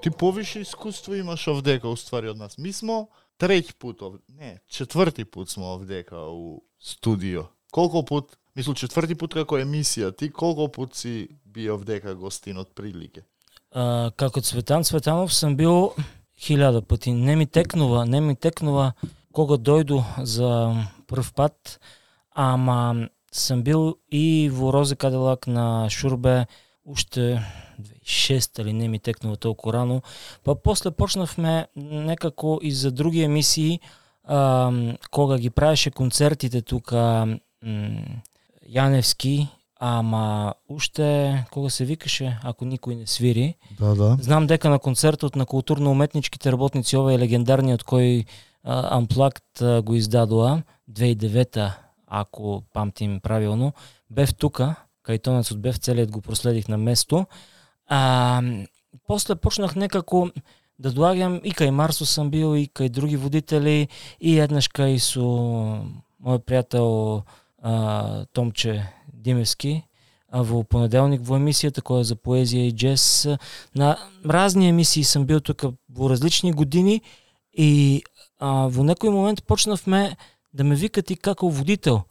ти повише искуство имаш овдека уствари од нас. Мы смо четврти пут смо овдека у студио. Колку пут, четврти пут како емисија, ти колку пут си би овдека гостин од прилике? Како Цветан Цветанов сам бил 1000 пати. Не ми текнува кога дојду за прв пат, ама сам бил и во Розе Кадилак на Шурбе уште 2006 или не ми текнува толку рано. Па после почнавме некако и за други емисии, кога ги правеше концертите тука Јаневски, ама уште кога се викаше ако никој не свири. Да. Знам дека на концертот на културно-уметничките работници овој легендарниот кој Unplugged го издадоа 2009, ако памтим правилно, бев тука, кај тонецот бев, целиот го проследих на место. После почнах некако да доаѓам и кај Марсо сам бил, и кај други водители, и еднаш кај со мој пријател Томче Димевски, во понеделник во емисијата која за поезија и джез. На разни емисии сам бил тука во различни години и во некој момент почнавме да ме викат и како водител.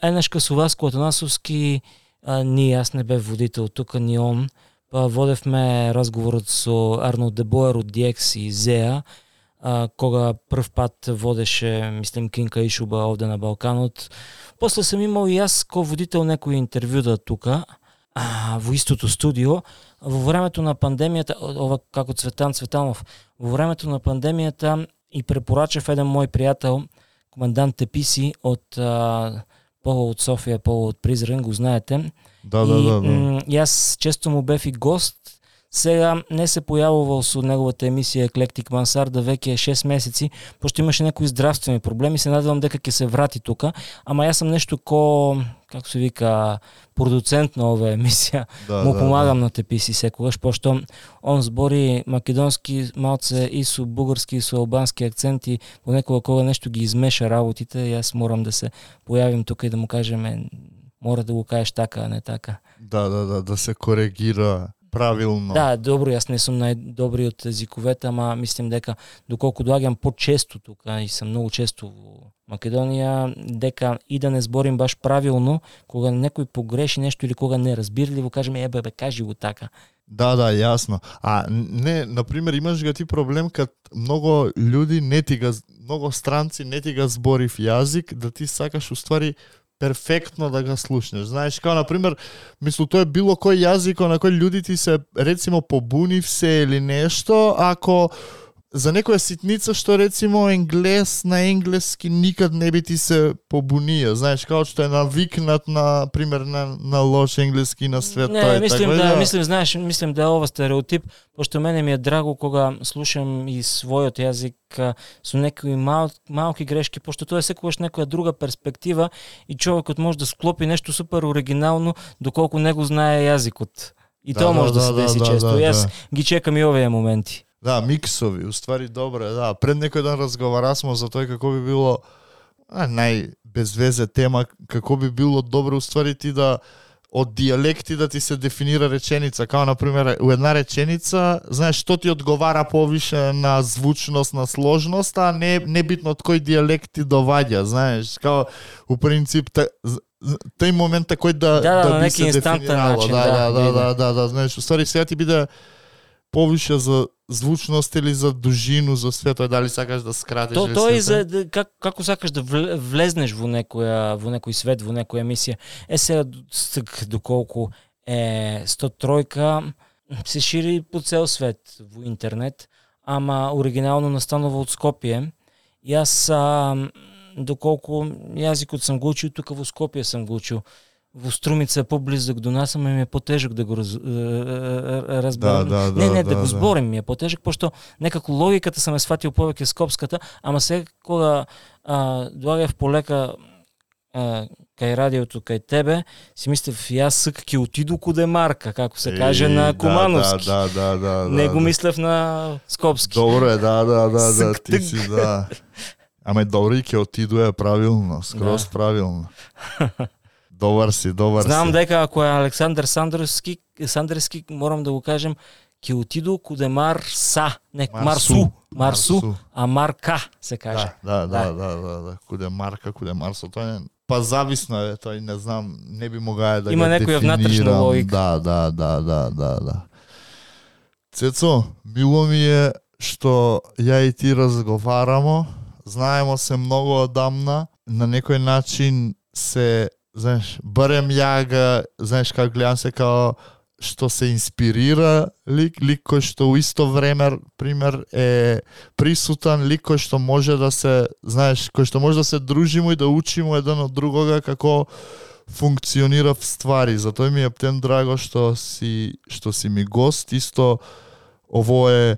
Еднашка со Васко Атанасовски, јас не бев водител тука, ни он. Па водевме разговорот со Арнолд Дебоер од DX и Зеа, кога прв пат водеше, мислим, Кинка Ишуба овде на Балканот. После сам имал и јас ко водител некои интервјута тука, во истото студио. Во времето на пандемијата, ова како Цветан Цветанов, во времето на пандемијата и препорачав еден мој пријател, командант Теписи од Поло од Софија, Поло од Призрен, го знаете. Да. Јас често му бев и гост. Сега не се појавувал со неговата емисија Еклектик Мансарда веќе 6 месеци, пошто имаше некои здравствени проблеми. Се надевам дека ќе се врати тука, ама јас сам нешто како се вика, продуцент на оваа емисија. Му помагам на Теписи секогаш, пошто он збори македонски малце и со бугарски и со албански акценти, понекога кога нешто ги измеша работите, јас морам да се појавим тука и да му кажеме мора да го кажеш така, а не така. Да се коригира правилно. Да, добро, јас не сум најдобриот езиковете, ама мислим дека доколку доаѓам почесто тука и сум многу често во Македонија, дека и да не зборим баш правилно, кога некој погреши нешто или кога не разбирливо, кажеме бе, кажи го така. Да, јасно. Не, например, имаш га ти проблем кад многу луѓе многу странци не ти га зборив јазик, да ти сакаш уствари перфектно да го слушнеш. Знаеш, као, например, тоа е било кој јазик на кој луѓе ти се, рецимо, побунив се или нешто, ако за некоја ситница што, рецимо, енглес на енглески никад не би ти се побунија. Знаеш, као што е навикнат на, пример, на лош енглески на свет. Не, мислим да е ова стереотип, пошто мене ми е драго кога слушам и својот јазик со некои малки грешки, пошто тоа е секогаш некоја друга перспектива и човекот може да склопи нешто супер оригинално доколку не го знае јазикот. И тоа може да се деси често. Јас ги чекам и овие моменти. Да, миксови, уствари добре, да. Пред некој ден разговарасмо за тоа како би било најбезвезе тема, како би било добро уствари ти да од дијалекти да ти се дефинира реченица, као например у една реченица, знаеш што ти одговара повише на звучност, на сложност, а не битно од кој дијалект ти доваѓа, знаеш, као у принцип тој момент кој да би се дефинирало. Да, знаеш, уствари сега ти биде повише за звучност или за дужину, за свето, дали сакаш да скратиш или тоа е за како сакаш да влезнеш во некој свет, во некоја емисија. Сега доколку е 103 се шири по цел свет во интернет, ама оригинално настанува од Скопје. Јас доколку јазикот сам го учил тука во Скопје сам го учил. Во Струмица е поблизок до нас, ама ми е потежок да го разберам. Да го зборим ми е потежок, пошто некако логиката сам е сватил повеќе скопската, ама сега кога доаѓав полека кај радиото, кај тебе, си мислев, јас ќе отиду куде Марка, како се каже на Кумановски. Не го мислев на скопски. Добро е, да, ти си, да. Ама добро и ќе отиду правилно, скроз правилно. Добар си. Знам дека ако е Александар Сандерски, морам да го кажем, ќе отиду куде Марса, не Марсу, а Марка се каже. Да. Куде Марка, куде Марсо, тоа е па зависно е, тој не знам, не би могаја да има некоја внатрешна логика. Да. Цецо, мило ми е што ја и ти разговарамо, знаемо се многу одамна, на некој начин се, знаеш, барем ја га, знаеш, како гледам се као што се инспирира лик кој што у исто време, пример, е присутан, лик кој што може да се, знаеш, кој што може да се дружимо и да учимо еден од другога како функционира в ствари. Затоа ми е птен драго што си ми гост, исто ово е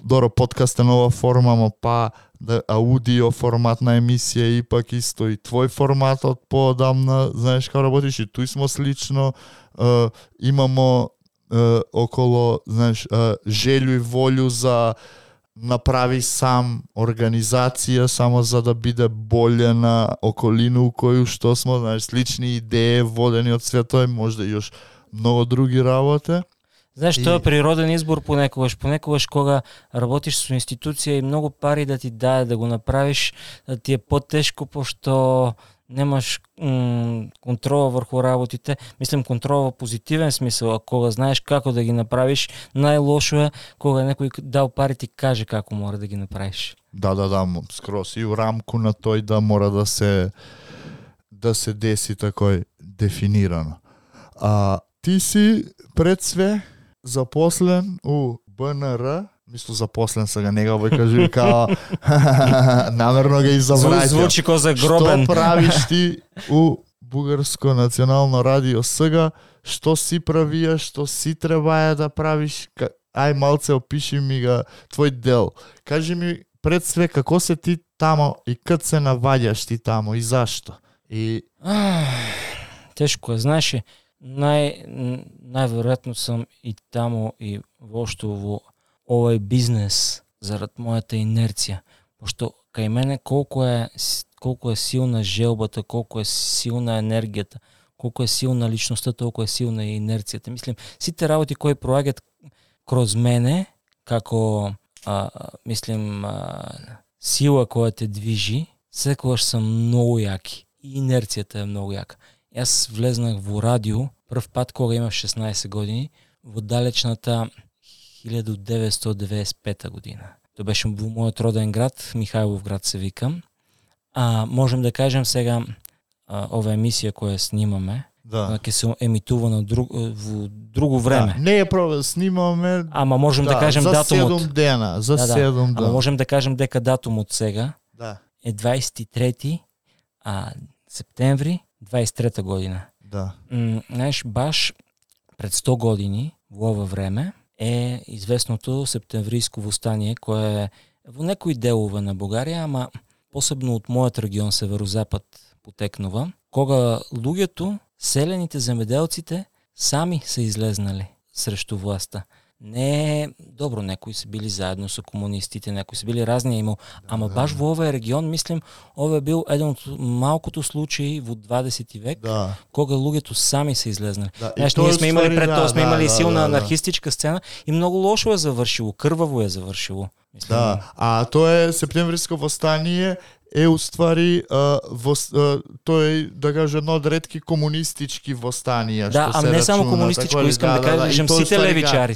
добро подкаст е нова форма, но па да аудио форматна емисија и пак исто и твој форматот поодамна, знаеш како работиш и туј смо слично, имамо около, знаеш, желју и волју за направи сам организација само за да биде боле на околину у коju што смо, знаеш, слични идеи водени од светот, можда и још многу други работи. Знаеш, тоа е природен избор понекогаш кога работиш со институција и многу пари да ти даде да го направиш, да ти е потешко пошто немаш контрола врху работите. Мислам контрола во позитивен смисел, а кога знаеш како да ги направиш, најлошо е кога некој дал пари ти каже како мора да ги направиш. Да, скрос и у рамку на тој да мора да се деси такој дефинирано. Ти си пред све запослен у БНР, мисло запослен сега нега овој кажи као намерно га изабраќам. Звучи ко загробен. Што правиш ти у Бугарско национално радио сега? Што си правија, што си требаја да правиш? Ај малце опиши ми го твој дел. Кажи ми пред све како се ти тамо и кад се наваѓаш ти тамо и зашто? Тешко е, знаеш, најверојатно сум и тамо и воопшто во овој бизнес зарад мојата инерција, пошто кај мене колку е силна желбата, колку е силна енергијата, колку е силна личноста, толку е силна и инерцијата. Мислим, сите работи кои проаѓаат кроз мене, како сила која те движи, секогаш се многу јаки и инерцијата е многу јака. Јас влезнах во радио прв пат кога имав 16 години во далечната 1995 година. Тоа беше во мојот роден град, Михајлов град се викам. Можем да кажем сега ова емисија која снимаме, ќе се емитува во друго време. Не е снимаме. Ама можем да кажем за датумот. 7 дена, за 7 дена. Ама можем да кажем дека датумот сега е 23 септември 23 година. Знаеш, баш пред 100 години во ова време е известното септемвриско востание, кое е во некои делови на Бугарија, ама посебно од мојот регион северозапад потекнува, кога луѓето, селените, земјоделците сами се излезнали срещу власта. Не, добро, некои се били заедно со комунистите, некои се били разни имал, ама баш во овој регион, мислим, ова бил еден од малкото случаи во 20 век, кога луѓето сами се излезнали. Знаеш, ние сме имали пред тоа, сме имали силна анархистичка сцена и многу лошо е завршило, крваво е завршило. Мислим, тоа е септемвриско востание, е уствари тој да каже едно од ретки комунистички востанија што се не само комунистичко, искам да кажем сите левичари,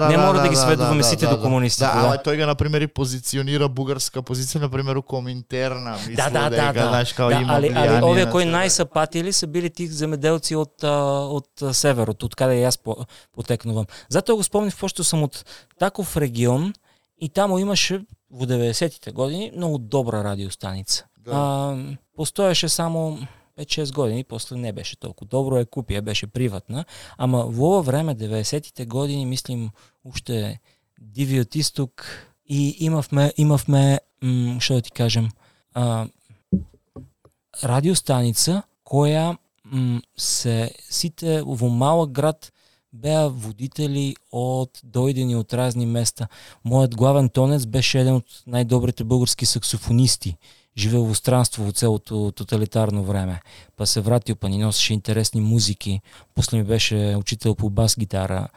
не мора да ги сведуваме сите до комунисти. Тој га на пример и позиционира бугарска позиција на пример у Коминтерна, мислам дека знаеш како има влијание. Али овие кои најсапатили се били тих земјоделци од северот, од каде јас потекнувам. Затоа го спомнив пошто сум од таков регион и таму имаше во 90-тите години многу добра радиостаница. Постоеше само 5-6 години, после не беше толку добро, ја купија, беше приватна, ама во ова време 90-тите години, мислим, уште дивиот исток и имавме што да ти кажем, радиостаница која сите во малок град беа водители од дојдени од разни места. Мојот главен тонец беше еден од најдобрите бугарски саксофонисти. Живеел во странство во целото тоталитарно време. Па се вратил, па ни носеше интересни музики. После ми беше учител по бас гитара.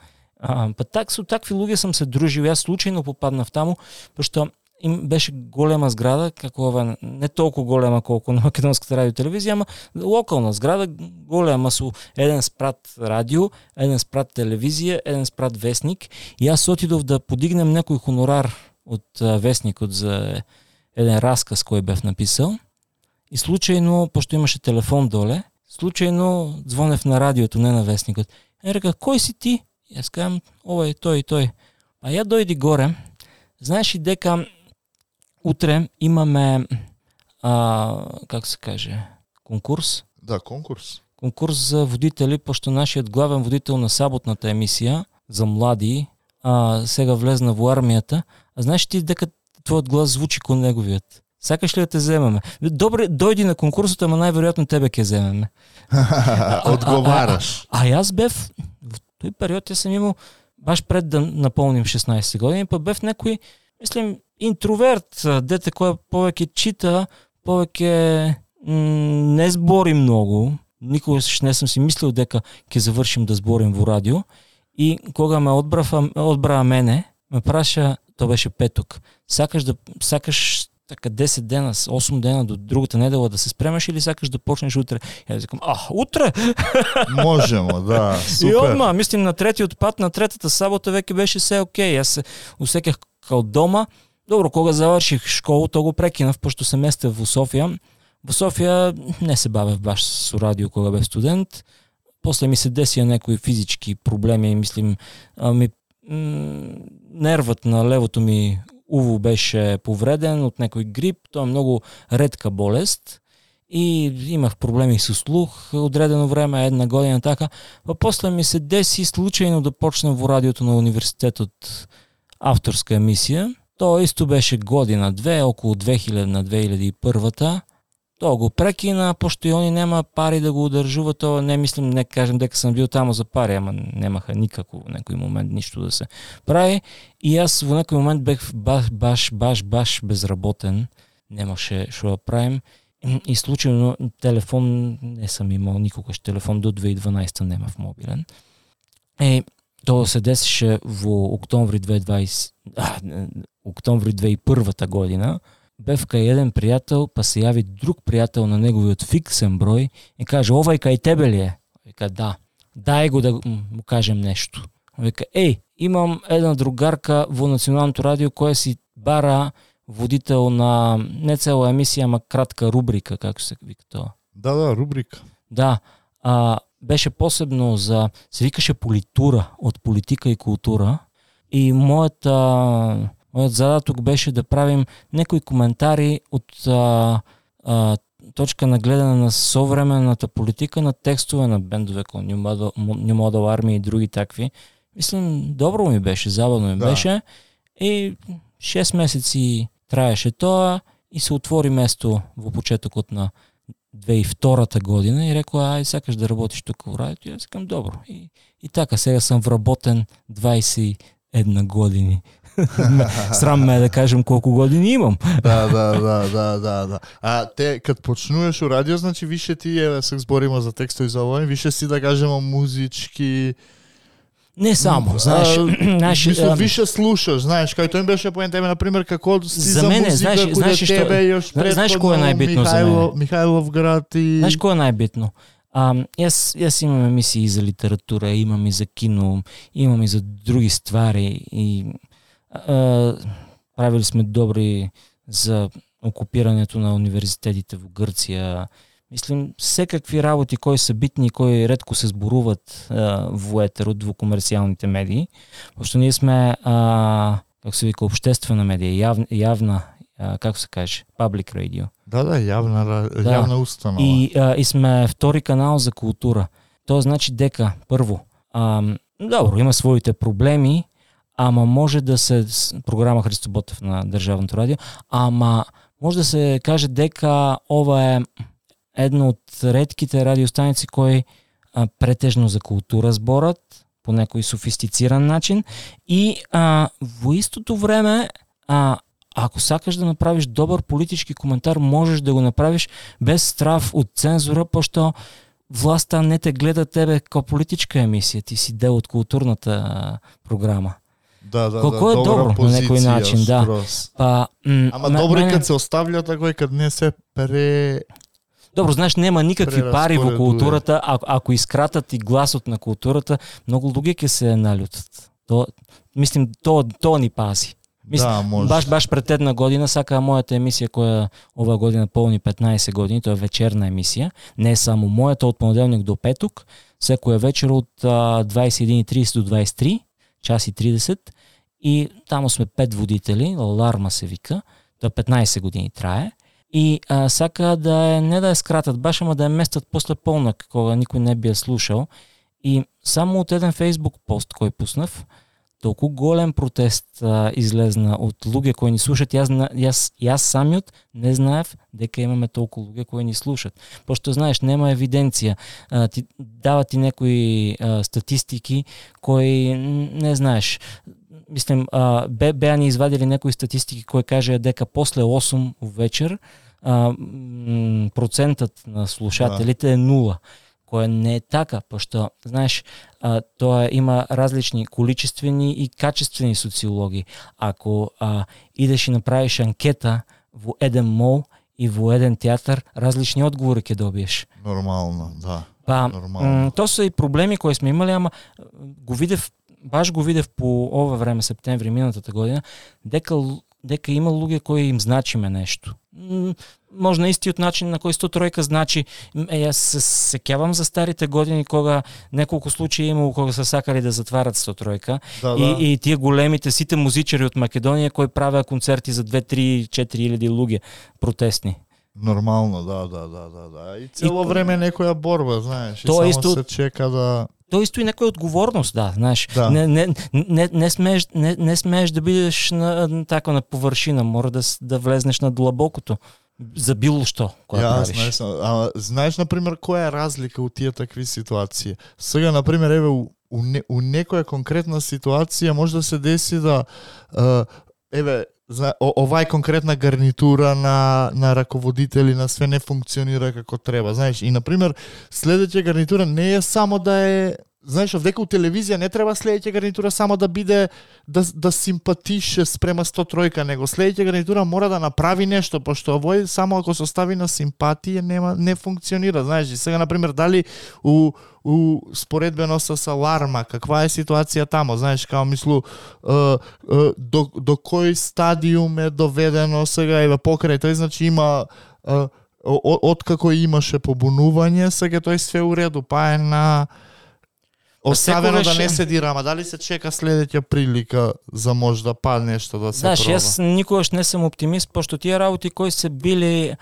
Па со такви луѓе сам се дружил, јас случајно попаднав таму, пошто им беше голема зграда, како ова, не толку голема колку на Македонската радио телевизија, ама локална зграда, голема, со еден спрат радио, еден спрат телевизија, еден спрат весник, и јас отидов да подигнем некој хонорар од весникот за еден расказ кој бев написал, и случајно, пошто имаше телефон доле, случајно звонев на радиото, не на весникот. И река, кој си ти? Јас кажам, овој, тој. А ја дојди горе, знаеш и дека утре имаме, как се каже, конкурс? Да, конкурс. Конкурс за водители, пошто нашиот главен водител на саботната емисија за млади сега влезна во армијата. А знаеш ти дека твојот глас звучи кон неговиот? Сакаш ли да те земеме? Добре, дојди на конкурсот, ама најверојатно тебе ќе земеме. Одговараш. А јас бев, во тој период јас сам имал, баш пред да наполним 16 години, па бев некој, мислим, интроверт, дете кој повеќе чита, повеќе не збори многу. Никогаш не сум си мислил дека ќе завршим да зборим во радио. И кога ме одбраа мене, ме праша, тоа беше петок, сакаш така 10 дена, 8 дена до другата недела да се спремаш или сакаш да почнеш утре? Ја викам, утре? Можемо, да, супер. И одма, мислим на третиот пат, на третата сабота веќе беше се окей. Јас се усеках као дома. Добро, кога заврших школа, то го прекинав, пошто се местев во Софија. Во Софија не се бавев баш со радио кога бев студент. После ми се десија некои физички проблеми, мислим, нервот на левото ми уво беше повреден од некој грип, тоа е многу ретка болест и имах проблеми со слух одредено време, 1 година така. Па после ми се деси случајно да почнем во радиото на универзитетот авторска емисија. Тоа исто беше година-две, околу 2000 на 2001-та. Тоа го прекина, пошто и они нема пари да го одржуваат. Тоа не мислим, не кажем дека сам бил таму за пари, ама немаха никако во некој момент ништо да се прави. И јас во некој момент бев баш безработен. Немаше што да правим. И случајно телефон не сам имал никогаш телефон, до 2012 немав мобилен. Тоа се десеше во октомври 2001 година. Бев кај еден пријател, па се јави друг пријател на неговиот фиксен број и каже, овај кај тебе ли е? Вика, да. Дај го да му кажем нешто. Вика, имам една другарка во Националното радио која си бара водител на не цела емисија, ама кратка рубрика, како се вика тоа. Да, рубрика. Да. Беше посебно се викаше Политура, од политика и култура. И мојот задаток беше да правим некои коментари од точка на гледане на современата политика, на текстове на бендове како New Model Army и други такви. Мислим, добро ми беше, забавно ми беше. И 6 месеци траеше тоа и се отвори место во почетокот на 2002 година и рекоа, ај сакаш да работиш тука во радиото? Јас викам, добро. И така, сега сам вработен 21 години. Срам ме да кажем колку години имам. Да. А те кад почнуваш у радио, значи више ти се збориме за текстови за овој, више си да кажеме музички. Не само, знаеш, мислам, више слушаш, знаеш, кај тој беше поента на пример како си за мене, музика, знаеш знаеш кој е најбитно за мене? Михајловград и знаеш кој е најбитно? Јас имам емисии за литература, имам и за кино, имам и за други ствари и правили сме добри за окупирањето на универзитетите во Грција. Мислим, секакви работи кои се битни, кои ретко се зборуват во етерот, во комерцијалните медии, пошто ние сме, како се вика, обществена медија, јавна, како се каже, public radio. Да, јавна установа. И сме втори канал за култура. Тоа значи дека, прво, добро, има своите проблеми, ама може да се, програма Христо Ботев на Државното радио, ама може да се каже дека ова е една од ретките радиостаници кои претежно за култура зборат по некој софистициран начин и во истото време ако сакаш да направиш добар политички коментар, можеш да го направиш без страв од цензура, пошто властта не те гледа тебе како политичка емисија, ти си дел од културната програма. Колко е добро на некој начин, да. Па, ама добро е кад се оставлja тако и кад не се Добро, знаеш, нема никакви пари во културата, ако искратат и гласот на културата, многу луѓе ќе се налютат. Мислим, тоа ни пази. Мислим, баш пред една година сака мојата емисија која ова година полни 15 години, тоа е вечерна емисија, не е само мојата, од понеделник до петок, секоја вечер од 21:30 до 23, час и 30, и таму сме 5 водители, Аларма се вика, тоа 15 години трае, и сака не да ја скратат баш, ама да ја местат после полнок, кога никој не би ја слушал, и само од еден Facebook пост кој пуснав, толку голем протест излезна од луѓе кои ни слушат. Јас самиот не знаев дека имаме толку луѓе кои ни слушат. Пошто знаеш, нема евиденција. Дава ти некои статистики кои не знаеш. Мислим, беа ни извадили некои статистики кои кажеа дека после 8 вечер процентот на слушателите е 0. Која не е така, пошто, знаеш, тоа има различни количествени и качествени социологии. Ако идеш и направиш анкета во еден мол и во еден театар, различни одговори ќе добиеш. Нормално, да. Тоа се и проблеми кои сме имали, ама го видев по ова време, септември минатата година, дека има луѓе кои им значиме нешто. Може на истиот начин на кој 103 значи, јас се сеќавам за старите години кога неколку случаи имало кога се сакали да затварат 103 и тие големите сите музичари од Македонија кои правеа концерти за 2, 3, 4 илјади луѓе протестни. Нормално, да. И цело време некоја борба, знаеш, и тоа само исто, се чека да... Тоа исто и некоја одговорност, да, знаеш. Да. Не смееш да бидеш на површина, мора да влезнеш на длабокото за било што која правиш. Знаеш, например, која е разлика од тие такви ситуации? Сега, например, еве у некоја конкретна ситуација може да се деси да овај конкретна гарнитура на раководители на све не функционира како треба, знаеш. И например, следеќа гарнитура не е само да е, знаеш, овдека у телевизија не треба следеќа гарнитура само да биде да симпатише спрема 103, него следеќа гарнитура мора да направи нешто, пошто овој само ако се остави на симпатија не функционира, знаеш. И сега например дали у споредбено со Аларма, каква е ситуација тамо, знаеш, као мислу до кој стадиум е доведено сега еве покрај тој, значи има откако имаше побунување, сега тој све уреду, па е на оставено да не се дирама, дали се чека следеќа прилика за може да падне нешто да се проба. Јас никогаш не сум оптимист, пошто тие работи кои се били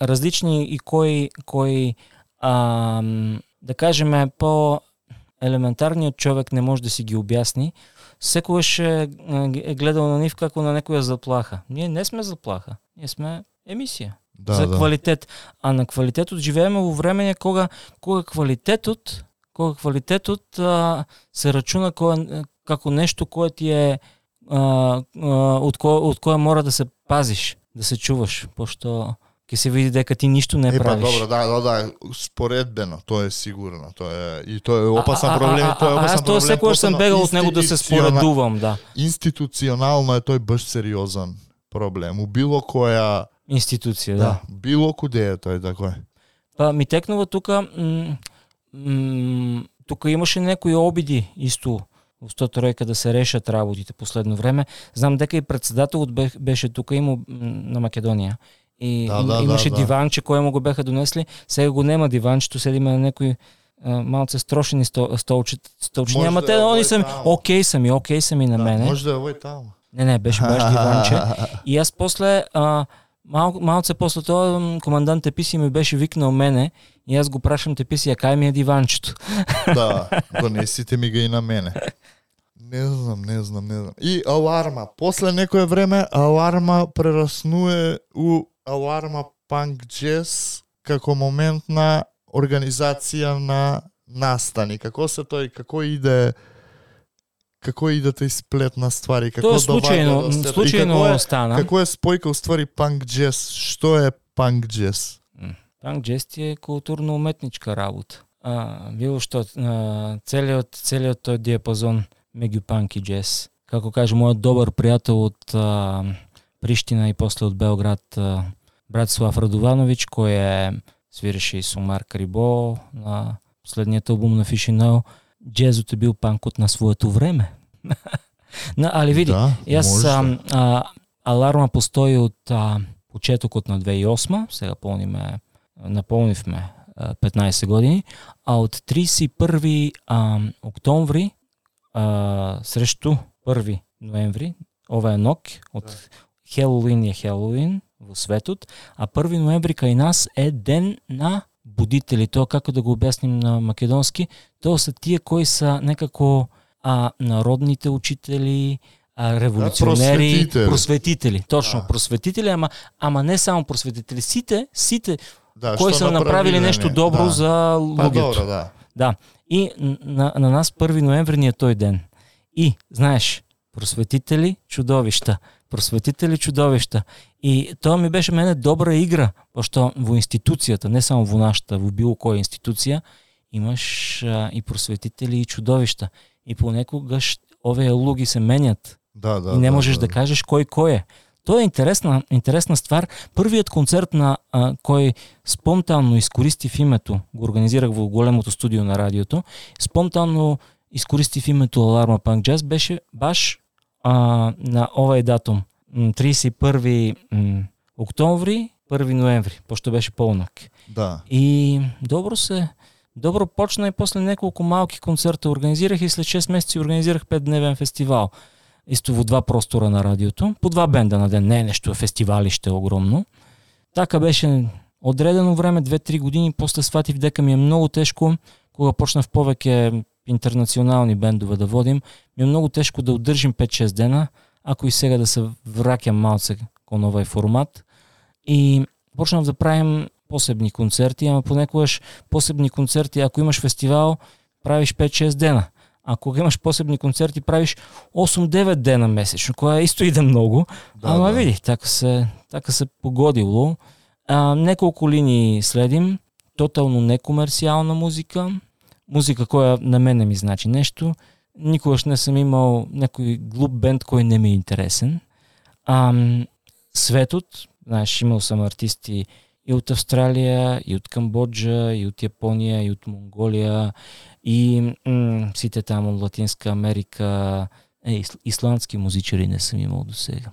различни и кои да кажеме по елементарниот човек не може да си ги објасни, секогаш е гледал на нив како на некоја заплаха. Ние не сме заплаха, ние сме емисија за квалитет, а на квалитетот живееме во време кога квалитетот се рачуна како нешто кое ти е од кое мора да се пазиш, да се чуваш, пошто ќе се види дека ти ништо не правиш. Добро, да, споредбено, тоа е сигурно, тоа е опасен проблем, тоа е опасен проблем. Тоа секогаш сум бегал од него да се споредувам, да. Институционално е тој баш сериозен проблем, у било која институција, да. Било куде е тој тако е. Па ми текнува тука имаше некои обиди исто во 103 да се решат работите последно време. Знам дека и председателот беше тука на Македонија. И имаше диванче кое му го беха донесли, сега го нема диванчето, седиме на некои малце строшени столчиња, ама те они се окей сами на мене. Може да е овој таму. Не, беше баш диванче. И јас после малце после тоа командант Теписи ми беше викнал мене и јас го прашам Теписи, кај ми е диванчето. Да, донесите ми го и на мене. Не знам. И Аларма. После некое време Аларма прераснуе у Аларма Панк Джез како моментна организација на настани. Како се тој, како иде тој сплет на ствари, како тоа случајно стана. Како е спојка у ствари Панк Джез? Што е Панк Джез? Панк джез ти е културно-уметничка работа. Било што целиот тој диапазон меѓу панк и джез. Како каже мојот добар пријател од Приштина и после од Белград, Братислав Радовановиќ, кој свиреше и со Марк Рибо на последниот албум на Фишинел, джезот е бил панкот на своето време. Али види, јас Аларма постои од почетокот на 2008, сега наполнивме 15 години, а од 31 октомври срешту 1 ноември, ова е нок, од Хелоуин е Хелоуин во светот, а 1 ноември кај нас е ден на будители. Тоа како да го објасним на македонски, тоа се тие кои са некако народните учители, револуционери, просветители. Точно, просветители, ама не само просветители, сите кои са направили нешто добро за луѓето. Да. И на нас 1 ноември ни е тој ден. И, знаеш, просветители, чудовишта. И тоа ми беше мене добра игра, пошто во институцијата, не само во нашата, во било која институција, имаш и просветители и чудовишта. И понекогаш овие луѓе се менјат. И не можеш да кажеш кој е. Тоа е интересна ствар. Првиот концерт на кој спонтанно искористив името, го организирах во големото студио на радиото, спонтанно искористив името Аларма Панк Джаз, беше баш на овај датум, 31 октомври, 1 ноември, пошто беше полнак. Да. И добро почна и после неколку малки концерта организирах и след 6 месеци организирах 5-дневен фестивал. Исто во 2 простора на радиото, по 2 бенда на ден, не нешто фестивалиште огромно. Така беше одредено време, 2-3 години, после сватив дека ми е многу тешко, кога почнав повеќе интернационални бендове да водим, ми е многу тешко да одржим 5-6 дена, ако и сега да се враќам малце кон овај формат. И почнав да правим посебни концерти, ама понекогаш посебни концерти, ако имаш фестивал, правиш 5-6 дена. А кога имаш посебни концерти, правиш 8-9 дена месечно, која исто иде многу. Ама види, така се погодило. Неколку линии следим, тотално некомерцијална музика која на мене ми значи нешто. Никогаш не сум имал некој глуп бенд кој не ми е интересен. Светот, знаеш, имал сум артисти и од Австралија, и од Камбоџа, и од Јапонија, и од Монголија, и сите таму од Латинска Америка, исландски музичари не сум имал до сега.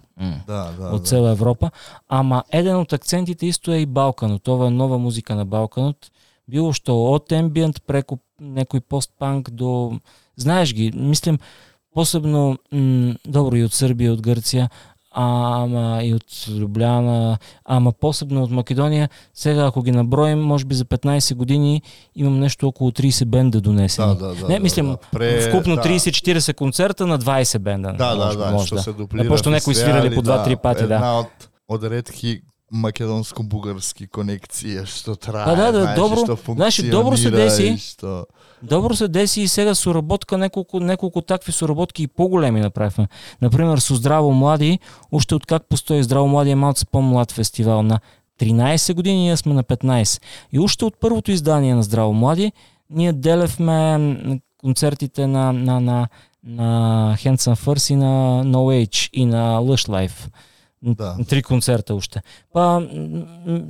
Од цела Европа. Ама еден од акцентите исто е и Балканот. Ова е нова музика на Балканот. Било што од ембиент преку некој постпанк до... Знаеш ги, мислим, посебно, добро и од Србија, од Грција, ама и од Лјубљана, ама посебно од Македонија. Сега ако ги наброим, може би за 15 години имам нешто околу 30 бенда донесени. Мислим, вкупно 30-40 концерта на 20 бенда. Што се дуплира. Пошто некои свирали по 2-3 пати, Една од ретки македонско-бугарски конекција што трае, добро, што функционира. Добро се деси. Добро се деси и сега соработка, неколку такви соработки и поголеми направивме. Например, со Здраво млади, уште од как постои Здраво млади е малце помлад фестивал, на 13 години, ние сме на 15. И уште од првото издание на Здраво млади, ние делевме концертите на Hands and First и на No Age и на Lush Life. 3 концерта уште.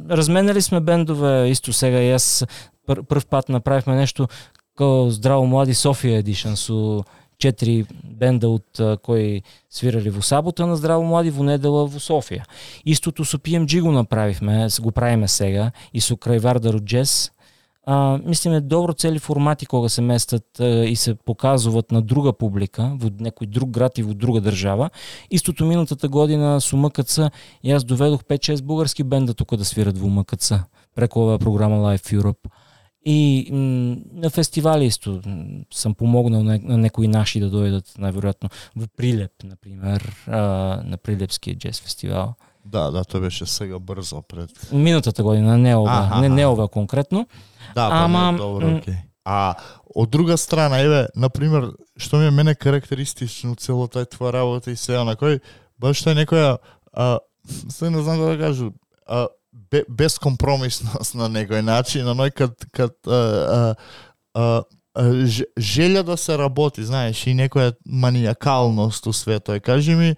Разменали сме бендове исто сега и јас прв пат направивме нешто како Здраво млади Софија Edition со 4 бенда од кои свирали во сабота на Здраво млади, во недела во Софија. Истото со PMG го направивме, го правиме сега и со Крајвардар од Джез. Мислиме добро цели формати кога се местат и се показуваат на друга публика, во некој друг град и во друга држава. Истото минатата година со МКЦ јас доведох 5-6 бугарски бенда тука да свират во МКЦ преку оваа програма Live Europe. И на фестивали исто сам помогнал на некои наши да дојдат, најверојатно во Прилеп, например, на Прилепскиот джез фестивал. Да, тоа беше сега брзо пред минатата година, не ова конкретно. Ама добро, окей. Од друга страна, еве, например, што ми е мене карактеристично цело тај твоја работа и сега на кој баш тој некоја се не знам да кажу, безкомпромисност на некој начин, оној кад желја да се работи, знаеш, и некоја маниакалност у свето. Кажи ми,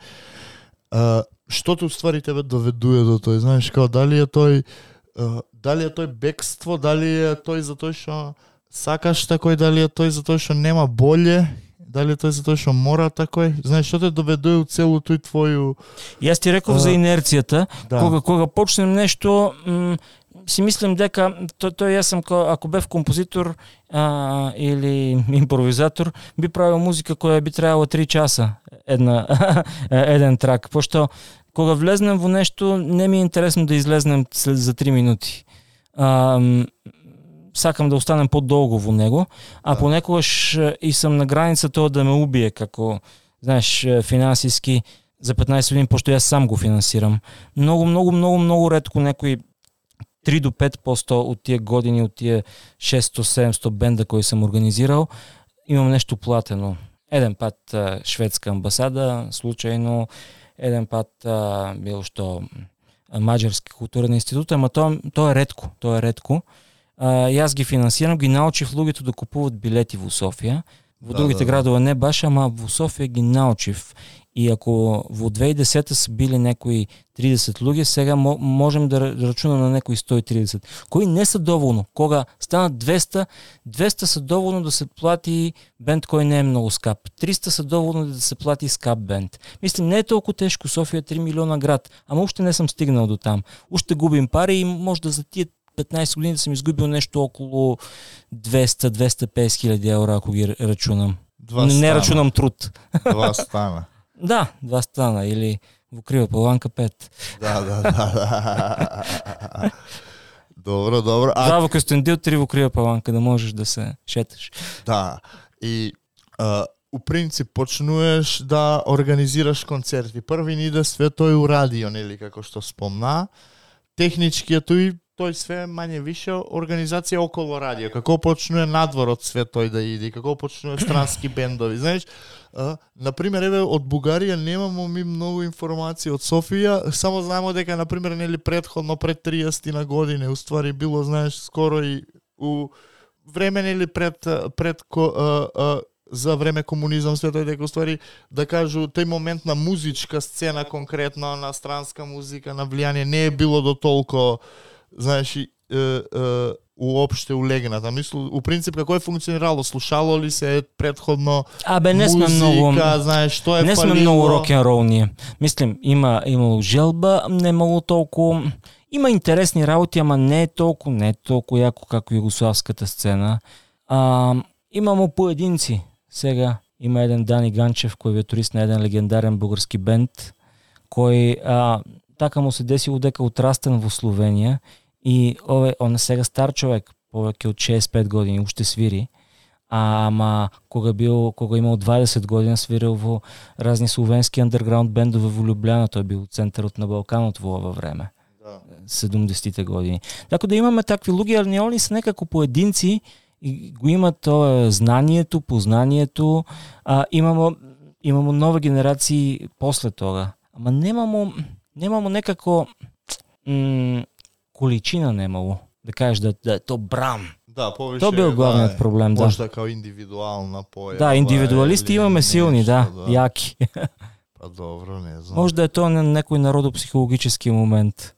што те уствари тебе доведува до тој, знаеш, као дали е тој бегство, дали е тој затоа што сакаш такој, дали е тој затоа што нема боле, дали е тој затоа што мора такој, знаеш, што те доведува у целу тој твоју... Јас ти реков за инерцијата, да. Кога почнем нешто, си мислам дека тој јас сум ако бев композитор или импровизатор, би правил музика која би траела 3 часа еден трак, пошто кога влезнем во нешто не ми е интересно да излезнем за 3 минути. Сакам да останем подолго во него, а понекогаш и сум на граница тоа да ме убие, како, знаеш, финансиски за 15 години, пошто јас сам го финансирам. Многу ретко некој 3 до 5% од тие години, од тие 600-700 бенда кои сум организирал, имам нешто платено. Еден пат шведска амбасада, случајно, еден пат било што Маđarски културен институт, ама тоа е ретко, јас ги финансирам, ги научив луѓето да купуват билети во Софија. Во другите градове не баш, ама во Софија ги научив. И ако во 2010 се били некои 30 луѓе, сега можем да рачунам на некои 130, кои не се доволно. Кога станат 200 се доволно да се плати бенд кој не е многу скап. 300 се доволно да се плати скап бенд. Мислим, не е толку тешко, Софија е 3 милиона град, ама уште не сум стигнал до там. Уште губим пари и може да за тие 15 години да съм изгубил нещо около 200-250 хиляди евра, ако ги рачунам. Не рачунам труд. 2 стана. Да, 2 стана, или во Крива Паланка 5. Да. Добро. 2 во Костендил, 3 во Крива Паланка, да можеш да се шеташ. Да, и у принцип почнуеш да организираш концерти. Први ни иде све тој у радио, нели, како што спомна. Технички тој све мање више организација околу радио. Како почнува надвор од све тој да иде, како почнува странски бендови. Знаеш, например, еве од Бугарија немамо ми многу информации, од Софија, само знаеме дека например нели претходно пред 30 на години, уствари било, знаеш, скоро и у време нели пред за време комунизам све тој дека уствари да кажу тој момент на музичка сцена конкретно на странска музика, на влијание не е било до толку, знаеш, уопште улегната. Мислу, у принцип како е функционирало, слушало ли се предходно не сме многу, знаеш, што е не сме многу рок-н-рол ние. Мислим, имало желба, немало толку, има интересни работи, ама не е толку јако како југославската сцена. Имамо поединци. Сега има еден Дани Ганчев кој е турист на еден легендарен бугарски бенд, кој така му се десило дека отрастен во Словенија и он е сега стар човек, повеќе од 65 години, уште свири. Ама кога имал 20 години свирил во разни словенски андерграунд бендове во Љубљана, тој бил центарот на Балканот во ова време. 70-те години. Така да имаме такви луѓе, ali они се некако поединци и го имат тоа знанието, познанието, имамо нови генерации после тога. Ама немамо некако количина немало, да кажеш да е то брам. Да, повише. Тоа бил главниот проблем, да. Можда као индивидуална појава. Да, индивидуалисти имаме силни, да, јаки. Па добро, не знам. Можда е тоа некој народопсихологически момент.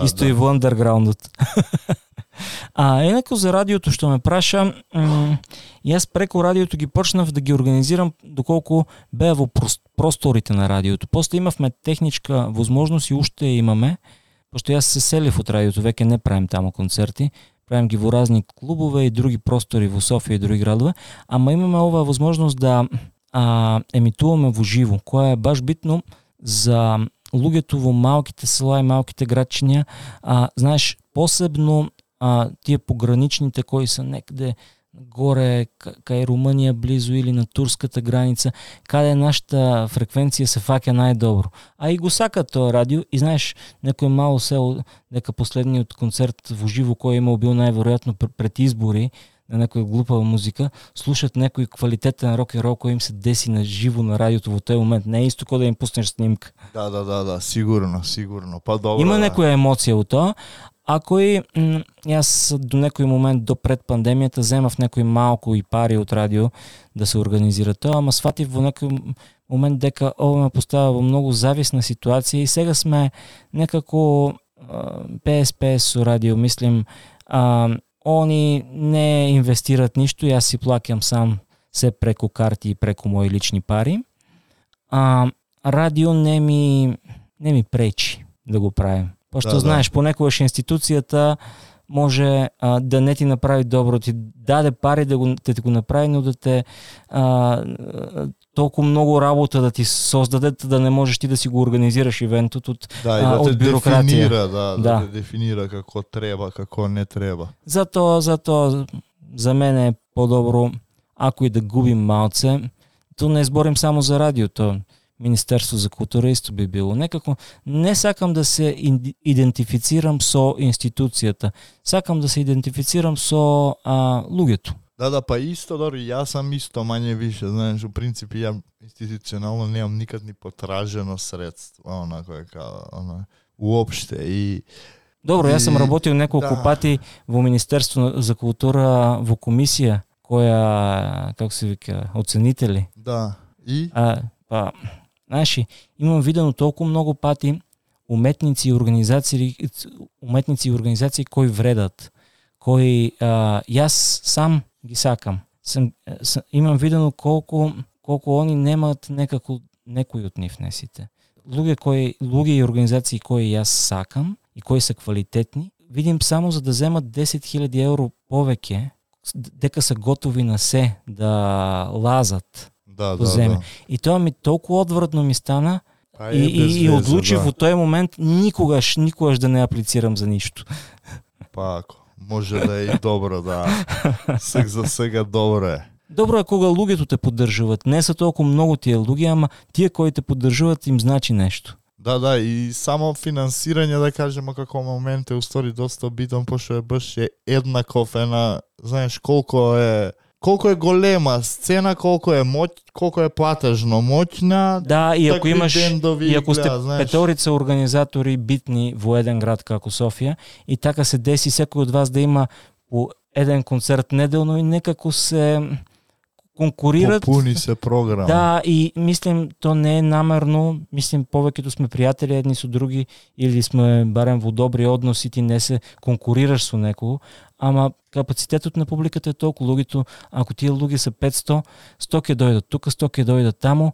Исто и во андерграундот. Инако за радиото што ме праша, јас преку радиото ги почнав да ги организирам доколку беа во просторите на радиото. После имавме техничка возможност и уште имаме, пошто јас се селив од радиото, веќе не правим таму концерти, правим ги во разни клубове и други простори во Софија и други градове, ама имаме оваа возможност да емитуваме во живо, која е баш битно за луѓето во малките села и малките градчиња, знаеш, посебно тие пограничните кои се некаде горе кај Румънија близу или на турската граница, каде нашата фреквенција се фаќа најдобро. И го сакат тоа радио и знаеш, некој мало село дека последниот концерт во живо кој имал бил најверојатно пред избори на некоја глупава музика, слушат некој квалитетен рок-н-рол кој им се деси на живо на радиото во тој момент. Не е исто како да им пуснеш снимка. Да, сигурно. Па добро. Има некоја емоција во тоа. Ако и јас до некој момент до пред пандемијата земав некој малку и пари од радио да се организира тоа, ама сватив во некој момент дека ова ме поставя во многу зависна ситуација и сега сме некако PSP со радио, мислим, они не инвестират ништо, јас си плаќам сам се преку карти и преку мои лични пари. Радио не ми пречи да го правим. Пошто знаеш, понекогаш институцијата може да не ти направи добро, ти даде пари да ти го направи, но да те толку многу работа да ти создаде, да не можеш ти да си го организираш ивентот од бюрократија. Да те дефинира како треба, како не треба. Затоа за мене е подобро ако и да губим малце, то не зборим само за радиото. Министерство за култура исто би било. Некако не сакам да се идентифицирам со институцијата. Сакам да се идентифицирам со луѓето. Да, па исто, дори јас сам исто мање више, знаеш, у принцип ја институционално немам никад ни потражено средство, онако е као, уопште и добро, јас сам работил неколку пати во Министерство за култура во комисија која, како се вика, оценители. Да. И знаеш, имам видено толку многу пати уметници и организации кои вредат, кои јас сам ги сакам. Имам видено колку они немаат некои од нив, не сите. Луѓе и организации кои јас сакам и кои се квалитетни, видим само за да земат 10.000 евро повеќе, дека се готови на се да лазат. Да. И тоа ми толку одвратно ми стана и одлучив во тој момент никогаш да не аплицирам за ништо. Пако, може да е и добро, да. За сега добро е. Добро е кога луѓето те поддржуваат. Не се толку многу тие луѓе, ама тие кои те поддржуваат им значи нешто. Да, и само финансирање, да кажеме, како момент е устори доста битен, пошто е баш еднаков знаеш, колку е голема сцена, колку е платежно моќна. Да, и ако сте петорица организатори битни во еден град како Софија, и така се деси секој од вас да има по еден концерт неделно и некако се конкурират. Попуни се програм. Да, и мислим, то не е намерно, мислим, повеќето сме пријатели едни со други, или сме барем во добри односи, ти не се конкурираш со некого, ама капацитетот на публиката е толку, луѓето, ако тие луѓе се 500, 100 ќе дојдат тука, 100 ќе дојдат таму,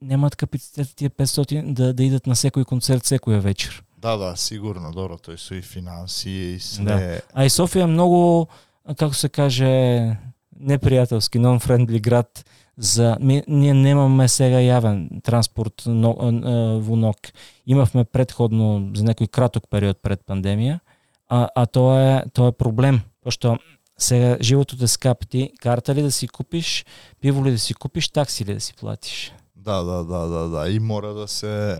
немаат капацитет тие 500 да идат на секој концерт секоја вечер. Да, сигурно, добро, тој се и финансии и све. Да. А и Софија е многу, како се каже, непријателски, non-friendly град. Ние немаме сега јавен транспорт во НОК. Имавме предходно за некој краток период пред пандемија, а тоа е проблем, пошто сега животот е скап, ти карта ли да си купиш, пиво ли да си купиш, такси ли да си платиш. Да, и мора да се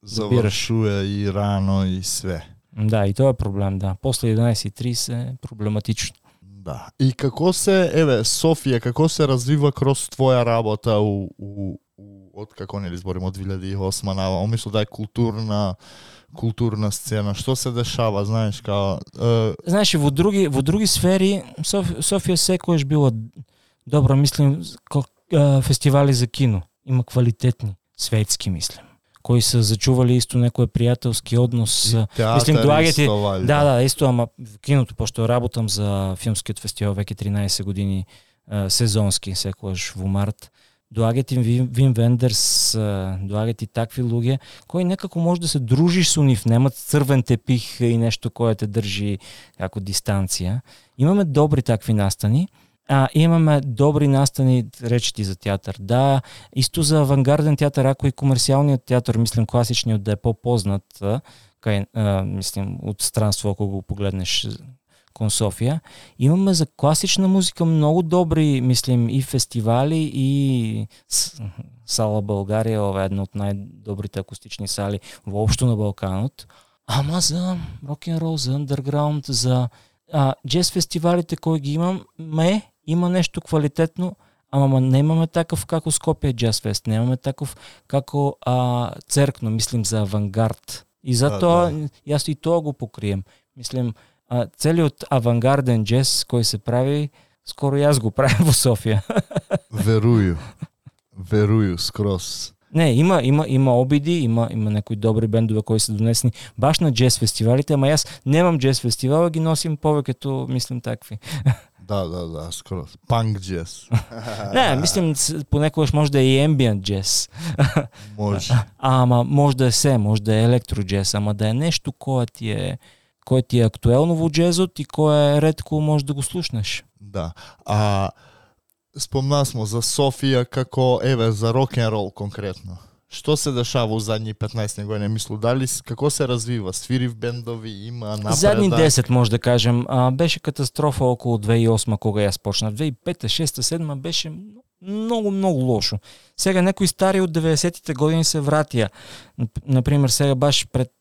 завршува и рано и све. Да, и тоа е проблем, да. После 11:30 е проблематично. Да. И како се, Софија, како се развива кроз твоја работа од како не зборим од 2008 наваму, мислам да е културна сцена, што се дешава, знаеш, Знаеш, во други сфери Софија секојаш била добра, мислим, фестивали за кино, има квалитетни, светски, мислим, кои се зачували исто некој пријателски однос. Мислим, доаѓате, да, исто, ама во киното, пошто работам за филмскиот фестивал веќе 13 години, сезонски, секојаш во март. Доаѓате Вим Вендерс, доаѓате такви луѓе кои некако може да се дружиш со нив, немат црвен тепих и нешто кое те држи како дистанција. Имаме добри такви настани. Имаме добри настани, речети за театар. Да, исто за авангарден театар, ако и комерцијалниот театар, мислим класичниот да е попознат, мислим од странство ако го погледнеш кон Софија. Имаме за класична музика многу добри, мислим, и фестивали и Сала Българија, ова е една од најдобрите акустични сали воопшто на Балканот. Ама за рок-н-рол, за андерграунд, за джез фестивалите кои ги има нещо квалитетно, ама немаме такъв како Скопје джаз фест, немаме такъв како Церкно, мислим за авангард. И затоа јас и тоа го покрием. Мислим, целиот авангарден джез кој се прави, скоро јас го правим во Софија. Верую скроз. Не, има обиди, има некои добри бендове кои се донесени баш на джез фестивалите, ама јас немам джез фестивал, ги носим повеќето, мислим, такви. Да, скроз. Панк джез. Не, мислим, понекогаш може да е и ембиент джез. Може. Ама може да е може да е електро джез, ама да е нешто кое ти е актуелно во джезот и кое ретко може да го слушнеш. Да. Спомнаа смо за Софија како за рок-н-рол конкретно. Што се дешава во задни 15 години? Мислу, како се развива? Свири в бендови, има напредак? Задни 10 може да кажем. Беше катастрофа околу 2008 кога јас почнав. 2005, 2006, 2007 беше много лошо. Сега некои стари од 90-тите години се вратија. Например, сега баш пред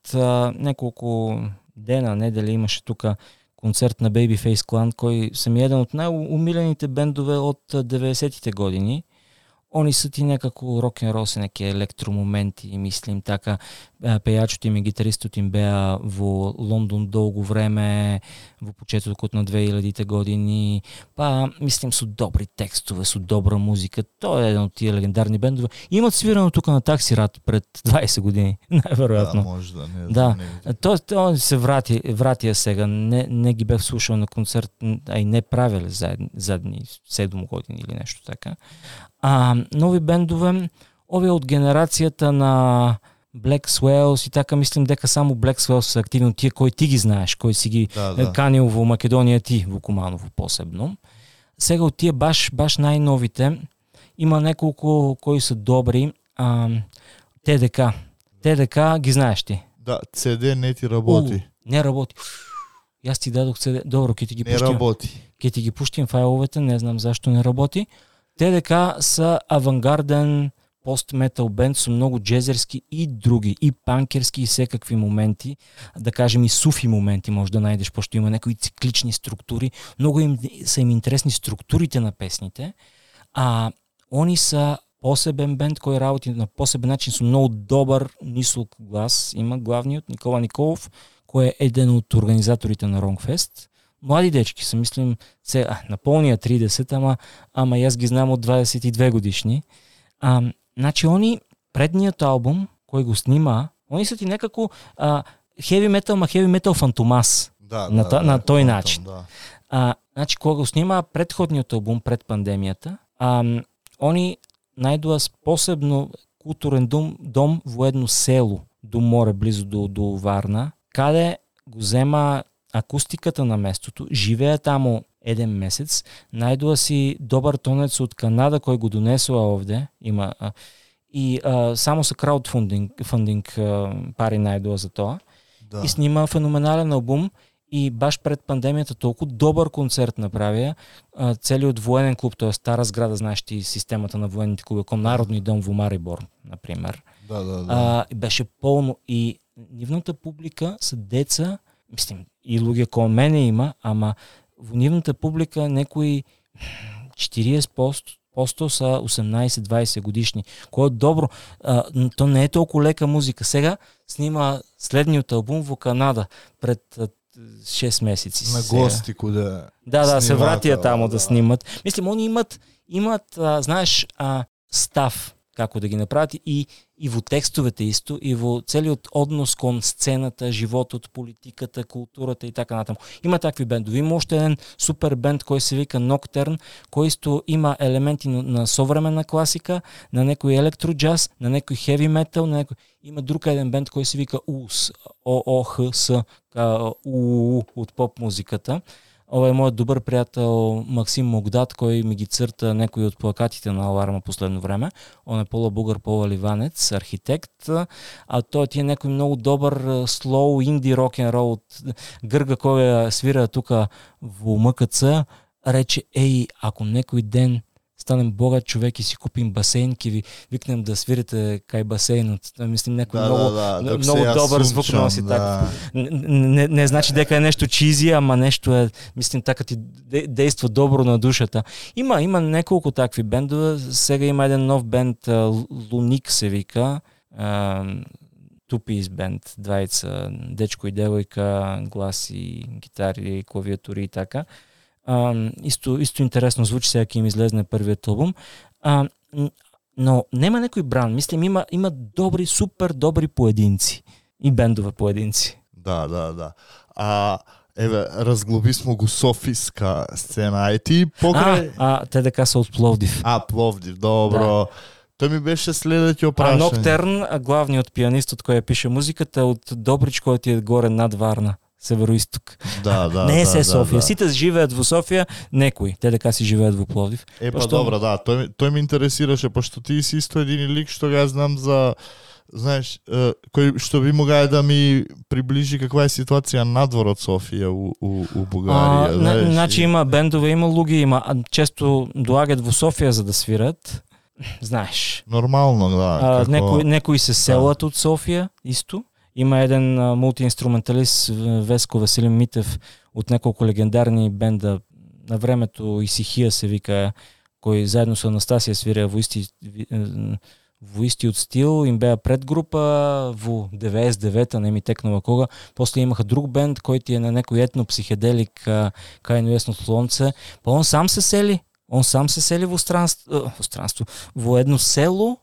неколку дена, недели имаше тука концерт на Babyface Clan, кој сам еден од најумилените бендове од 90-тите години. Они се ти некако рок-н-рол, се неки електромоменти, мислим така. Пејачот им и гитаристот им беа во Лондон долго време, во почетокот на 2000-те години. Мислим, со добри текстове, со добра музика. Тоа е еден од тие легендарни бендове. Имат свирано тука на Таксират пред 20 години, најверојатно. Може да, не. Да, тоа се вратија сега. Не ги бев слушал на концерт, а и не правеле задни 7 години или нешто така. Нови бендове, овие од генерацијата на Black Swells и така, мислим дека само Black Swells се активни, тие кои ти ги знаеш, кои си ги канил во Македонија ти, во Куманово посебно. Сега од тие баш најновите, има неколку кои се добри. ТДК ги знаеш ти? Да, CD не ти работи. Не работи. Јас ти дадох CD. Добро, ќе ти ги пуштим. Не работи. Ќе ти ги пуштим фајловете, не знам зашто не работи. ТДК са авангарден пост-метал бенд со многу джезерски и други, и панкерски, и секакви моменти, да кажем и суфи моменти може да најдеш, пошто има некои циклични структури, многу са им интересни структурите на песните, они са посебен бенд кој работи на посебен начин со многу добар нисок глас, има главниот Никола Николов, кој е еден од организаторите на Ронгфест. Млади дечки се, мислим, наполнија 30, ама јас ги знам од 22 годишни. Значи, они, предниот албум, кој го снима, они са ти некако heavy metal фантомас. На тој начин. Значи, кога го снима предходниот албум пред пандемијата, они најдоа посебно културен дом во едно село до море, близо до Варна, каде го зема акустиката на местото, живеа таму еден месец, најдоа си добар тонец од Канада кој го донесува овде, има и само со краудфандинг пари најдоа за тоа. Да. И снима феноменален албум и баш пред пандемијата толку добар концерт направија, целиот военен клуб, тоа е стара зграда, знаеш ти системата на военните клуби, кон Народни дом во Марибор, например. Да. Беше полно и нивната публика се деца, мислим, и луѓе кој мене има, ама во нивната публика некои 40% са 18-20 годишни, кој е добро. То не е толку лека музика. Сега снима следниот албум во Канада пред 6 месеци. На гости куде се вратија таму да снимат. Мислим, они имат знаеш, став како да ги направат и во текстовете исто, и во целиот однос кон сцената, животот, политиката, културата и така натаму. Има такви бендови. Има уште еден супер бенд кој се вика Nocturne, кој исто има елементи на современа класика, на некој електроджаз, на некој heavy metal, на некој... Има друг еден бенд кој се вика УУС, ООХС, од поп музиката. Ова е мојот добар пријател Максим Могдат, кој ми ги црта некои од плакатите на Аларма последно време. Он е полубугар, полуливанец, архитект, тој ти е некој многу добар слоу инди рок-н-рол од Грга кој свира тука во МКЦ, рече, ако некој ден станем богат човек и си купим басейн, ки ви викнем да свирите кај басейнот. Мислим некој многу добар звук носи така. Не значи дека е нешто чизи, ама нешто е, мислим така ти дејства добро на душата. Има неколку такви бендове. Сега има еден нов бенд, Луник се вика. Two-piece бенд, двајца, дечко и девојка, гласи, гитари, клавиатури и така. Исто интересно звучи, сега ќе им излезне првиот албум. Но нема некој бран. Мислим, има добри, супер добри поединци. И бендове поединци. Да. Еве, разглоби смо го софиска сцена. И ти покрај... те дека се од Пловдив. Пловдив, добро. Да. Тој ми беше следеќето прашање. Ноктърн, главниот пианистот кој ја пише музиката од Добрич, кој ти е горе над Варна, североисток. Да. Не е се Софија. Сите живеат во Софија, некои. Те дека си живеат во Пловдив. Добро, да. Тој ме интересираше, пошто ти си исто един лик што ја знам за, знаеш, кој што би могае да ми приближи каква е ситуација надвор од Софија у Бугарија. Значи има бендове, има луѓе, често доаѓаат во Софија за да свират. Знаеш. Нормално, да. Некои се селат од Софија, исто. Има еден мултиинструменталист, Веско Веселин Митев, од неколку легендарни бенда на времето, Исихија се вика, кој заедно со Анастасија свира во истиот стил, им беа предгрупа во 99-та, не ми текнува кога. После имаха друг бенд кој ти е на некој етно-психеделик кај Несно слонце. Па он сам се сели во странство, во едно село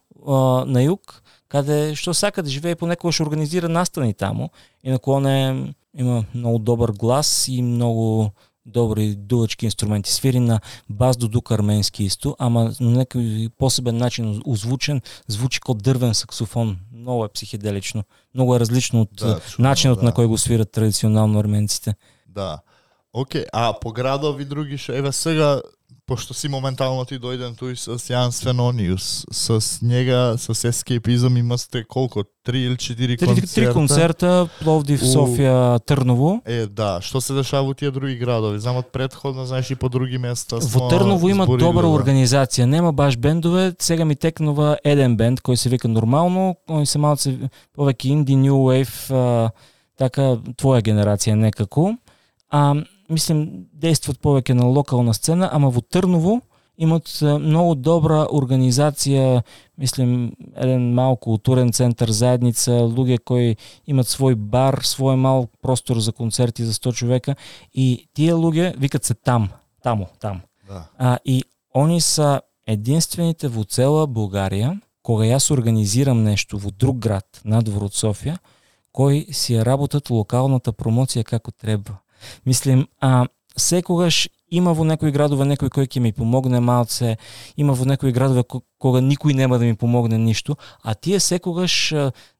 на југ, каде што сака да живее, понекогаш организира настани таму. Инаку он има многу добар глас и многу добри дувачки инструменти. Свири на бас дудук арменски исто, ама на некој посебен начин озвучен, звучи како дрвен саксофон. Многу е психеделично. Многу е различно од начинот на кој го свират традиционално арменците. Да. Океј, по градови други еве сега, пошто си моментално ти дојден туј с Јан Свенониус, с njega, с Escapism имасте колко? 3 или 4 концерта? 3 концерта, Пловдив, Софија, Трново. Да, што се дешава во тие други градови? Знам од предходно, знаеш, и по други места. Во Трново има добра организација, нема баш бендове, сега ми текнува еден бенд кој се вика Нормално, кој се малце повеќе инди, new wave, така твоја генерација некако. Мислим, действат повеќе на локална сцена, ама во Трново имат многу добра организација, мислим, еден мал културен центар, заедница, луѓе кои имат свој бар, свој мал простор за концерти за 100 човека и тие луѓе викат се таму. Да. И они са единствените во цела Бугарија, кога јас организирам нешто во друг град, надвор од Софија, кои си работат локалната промоција како треба. Мислим, секогаш има во некои градове некој кој ќе ми помогне малце, има во некои градове кога никој нема да ми помогне ништо, а тие секогаш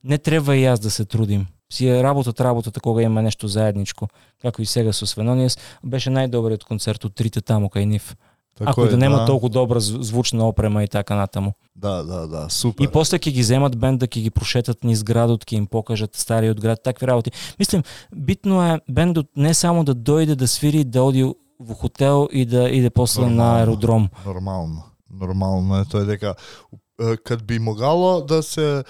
не треба и јас да се трудим. Си работата кога има нешто заедничко, како и сега со Свенонијас, беше најдобриот концерт од трите таму кај нив. Ако да нема толку добра звучна опрема и така натаму. Да, супер. И после ќе ги земат бенда, ќе ги прошетат низ градот, ќе им покажат стариот град, такви работи. Мислим, битно е бендот не само да дојде да свири, да оди во хотел и да иде после на аеродром. Нормално е тоа дека кад би могало да се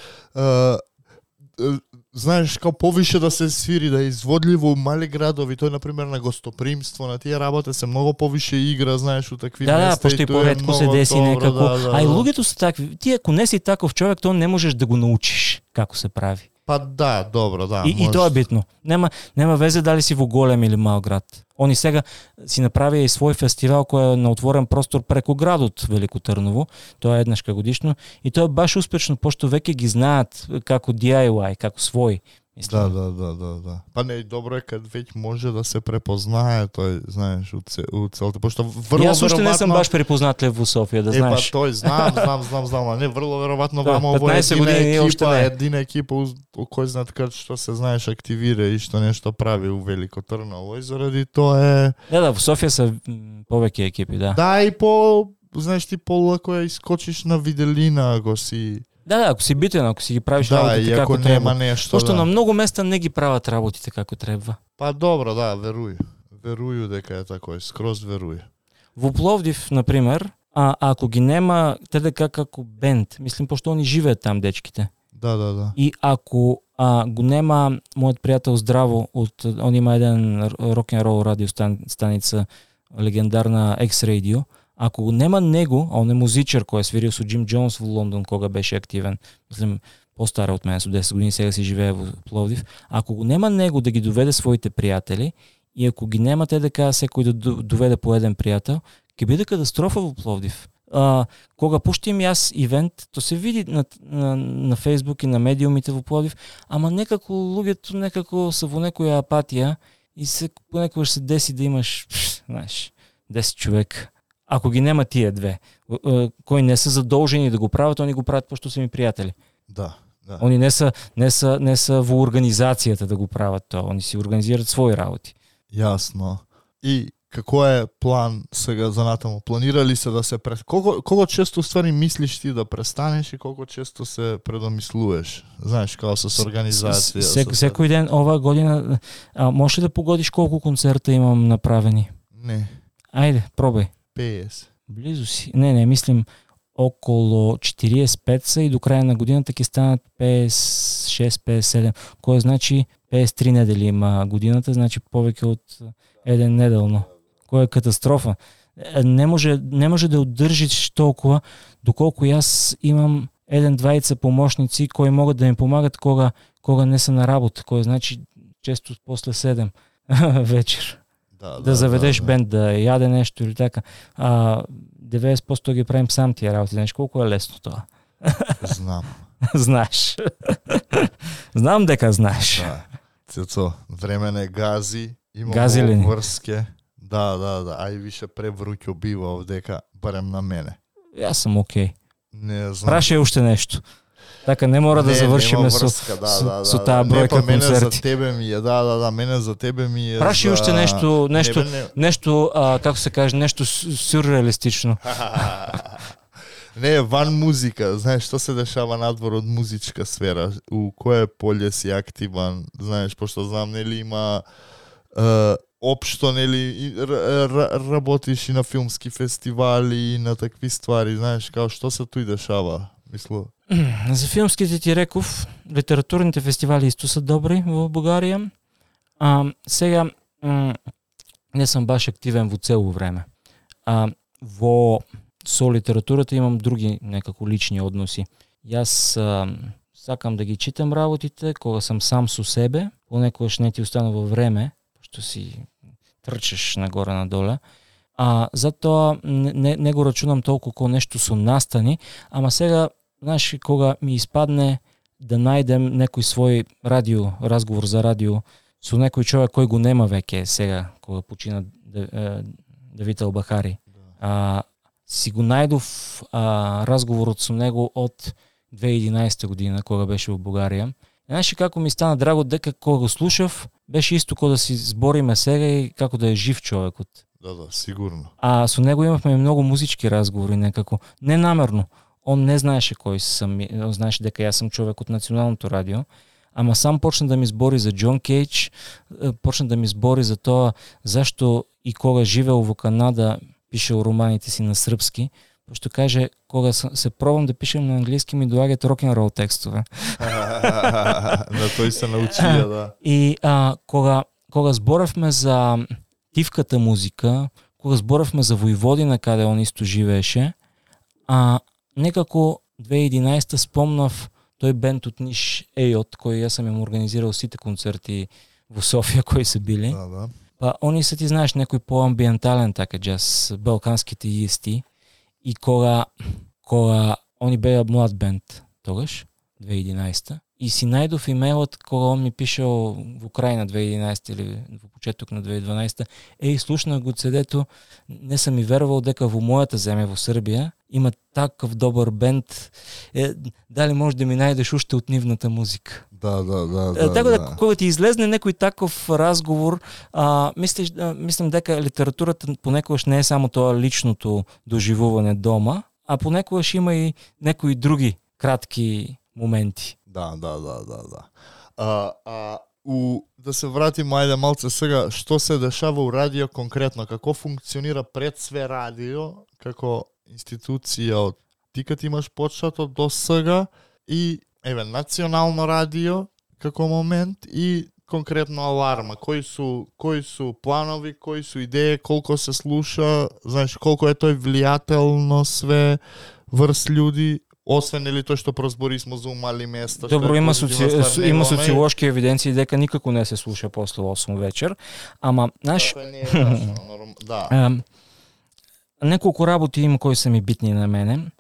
знаеш, као повише да се свири, да е изводливо у мали градови, тој например на гостопримство, на тие работи се многу повише игра, знаеш, у такви места. Да, пошто и поретко се деси некако. А и луѓето се такви. Ти ако не си таков човек, тоа не можеш да го научиш како се прави. Па да, добро, да. И тоа е битно. Нема везе дали си во голем или мал град. Они сега си направија и свој фестивал кој е на отворен простор преку градот Велико Трново. Тоа е еднашка годишно и тоа е баш успешно, пошто веќе ги знаат како DIY, како свој. Да. Па не, добро е кад веќе може да се препознае тој, знаеш, у целата, пошто врло Јас уште не сум баш препознатлив во Софија, да знаеш. Па тој знам, не врло веројатно вамо во 15 години едина екипа кој знаат кад што се знаеш активира и што нешто прави у Велико Трново и заради тоа е. Да, во Софија се повеќе екипи, да. Да, и знаеш ти полако ја искочиш на виделина ако си. Да, ако си битен, ако си ги правиш работите како треба. Нешто, пошто на многу места не ги прават работите како треба. Па добро, да, веруј дека е тако, скроз веруј. Во Пловдив, например, ако ги нема ТДК како бенд, мислим, пошто они живеат там, дечките. Да. И ако го нема мојот пријател Здраво, он има еден рок-н-рол радио станица, легендарна X-Radio, ако го нема него, а он е музичар кој е свирил со Джим Джонс во Лондон кога беше активен, мислим, постара од мене, со 10 години, сега си живее во Пловдив, ако го нема него да ги доведе своите пријатели, и ако ги нема ТДК секој да доведе по еден пријател, ќе биде катастрофа во Пловдив. Кога пуштим јас ивент, то се види на Facebook и на медиумите во Пловдив, ама некако луѓето некако се во некоја апатија и се понекогаш се деси да имаш, знаеш, 10 човек. Ако ги нема тие две, кои не се задолжени да го прават, они го прават пошто се ми пријатели. Да. Они не се во организацијата да го прават тоа, они си организираат своји работи. Јасно. И како е план сега за натаму? Планира ли се да се колко често ствари мислиш ти да престанеш и колко често се предомислуваш? Знаеш, као со организација. Секој ден оваа година можеш да погодиш колку концерта имам направени? Не. Ајде, пробај. 50. Близу си. Не, мислим околу 45 са и до краја на годината ќе станат 56-57, кој значи 53 недели има годината, значи повеќе од еден неделно. Кој е катастрофа. Не може да одржиш толкова, доколку јас имам еден-двајца помошници кои могат да ми помагат кога не се на работа, кој значи често после 7 вечер. Да заведеш бенд, да јаде нешто или така. 90% ги правим сам тие работи. Знаеш колку е лесно тоа? Знам. Знаеш. Знам дека знаеш. Да. Цецо, време не гази, Гази ли ни? врске. Да. Ај више превруќо бива овдека, барем на мене. Јас сум окей. Не знам. Прашај уште нешто. Така не мора да завршиме со таа бројка концерти. Мене за тебе ми е, мене за тебе ми е. Прашај уште нешто, како се каже, нешто сюрреалистично. Не, ван музика, знаеш што се дешава надвор од музичка сфера, у кое поле си активан, знаеш, пошто знам, нели има општо, нели, работиш и на филмски фестивали и на такви ствари, знаеш, као што се тој дешава, мисло. За филмските ти реков, литературните фестивали исто се добри во Бугарија. Сега не сум баш активен во цело време. Со литературата имам други некако лични односи. Јас сакам да ги читам работите кога сам со себе, понекогаш не ти останува време, што си трчеш нагоре надоле. Затоа не го рачунам толку како нешто со настани, ама сега, знаеш, кога ми испадне да најдем некој свој разговор за радио со некој човек кој го нема веќе сега, кога почина Давид Албахари. Си го најдов разговорот со него од 2011 година, кога беше во Бугарија. Знаеш како ми стана драго дека кога го слушав, беше исто како да си збориме сега и како да е жив човекот. Да, сигурно. Со него имавме многу музички разговори некако, ненамерно. Он не знаеше кој сум, он знаеше дека јас сум човек од националното радио, ама сам почна да ми збори за Џон Кейдж, почна да ми збори за тоа зашто и кога живеел во Канада пишел романите си на српски, пошто каже, кога се пробам да пишем на англиски, ми доаѓаат рок-н-рол текстове. На тој се научија, да. И кога зборевме за тивката музика, кога зборевме за Војводина, каде он исто живееше, некако 2011 спомнав тој бенд од Ниш Ејот, кој јас сам им организирал сите концерти во Софија кои се били. Да. Па они се ти знаеш некој поамбиентален така джаз, балканските исти. И кога они беа млад бенд тогаш, 2011, и си најдов имејлот кога он ми пишел во крај на 2011 или во почеток на 2012, слушнах го CD-то, не сам и верувал дека во мојата земја, во Србија, има таков добар бенд, дали може да ми најдеш уште од нивната музика. Да. Така да, кога ти излезне некој таков разговор, мислам дека литературата понекогаш не е само тоа личното доживување дома, а понекогаш има и некои други кратки моменти. Да. Да се вратиме ајде малце сега, што се дешава у радио конкретно, како функционира пред све радио, како институција од ти кад имаш почнато до сега и национално радио како момент и конкретно аларма, кои су планови, кои су идеи, колку се слуша, знаеш колку е тој влијателно све врз луѓи, освен или тоа што прозбори смо за умали места. Добро, има социолошки евиденции дека никако не се слуша после 8 вечер, ама знаеш, неколку работи има кои се ми битни на мене.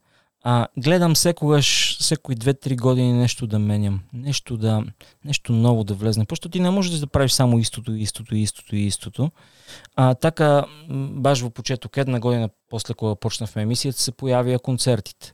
Гледам секои 2-3 години нешто да менјам, нешто ново да влезне, пошто ти не можеш да правиш само истото. Така, баш во почеток, една година после кога почнавме емисијата, се појавија концертите.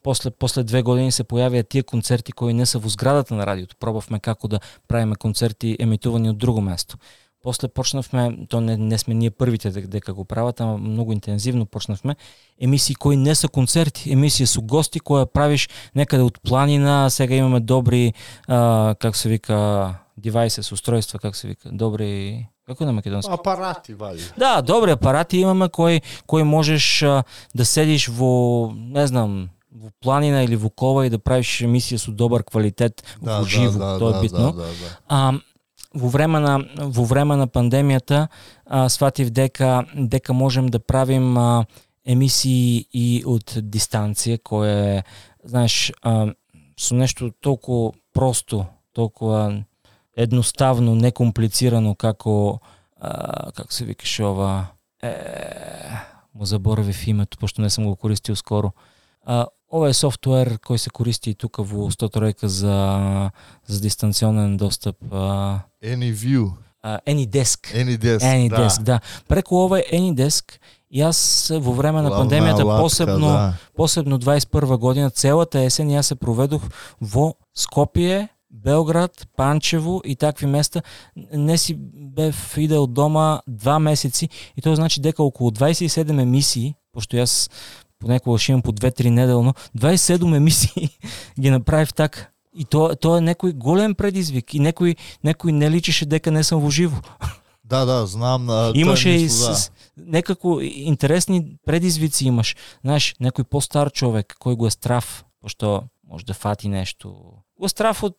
После 2 години се појавија тие концерти кои не се во зградата на радиото. Пробавме како да правиме концерти емитувани од друго место. После почнавме, то не сме ние првите дека го прават, ама многу интензивно почнавме, емисии кои не се концерти, емисии со гости кои правиш некаде од планина, сега имаме добри, как се вика, девайсес, устройства, как се вика, добри... Како на македонски? Апарати, вали. Да, добри апарати имаме кои можеш да седиш во, не знам, во планина или во кова и да правиш емисија со добар квалитет во живо, тоа е битно. Во време на пандемијата сватив дека можем да правим емисии и од дистанција, кое знаеш, со нешто толку просто, толку едноставно, некомплицирано како се викаше ова, му заборавив името, пошто не сум го користил скоро. Ова е софтуер кој се користи и тука во 103 за дистанционен достап. AnyView. AnyDesk, да. Преку ова AnyDesk, јас во време на пандемијата, посебно 21 година, целата есен јас се проведох во Скопје, Белград, Панчево и такви места. Не си бев идел дома 2 месеци и тоа значи дека околу 27 емисии, пошто јас понекогаш имам по 2-3 неделно, 27 емисии ги направив така. И тоа е некој голем предизвик и некој не личеше дека не сум во живо. Да, знам. Имаше и некако интересни предизвици имаш. Знаеш, некој постар човек кој го е страв, пошто може да фати нешто. Го е страв од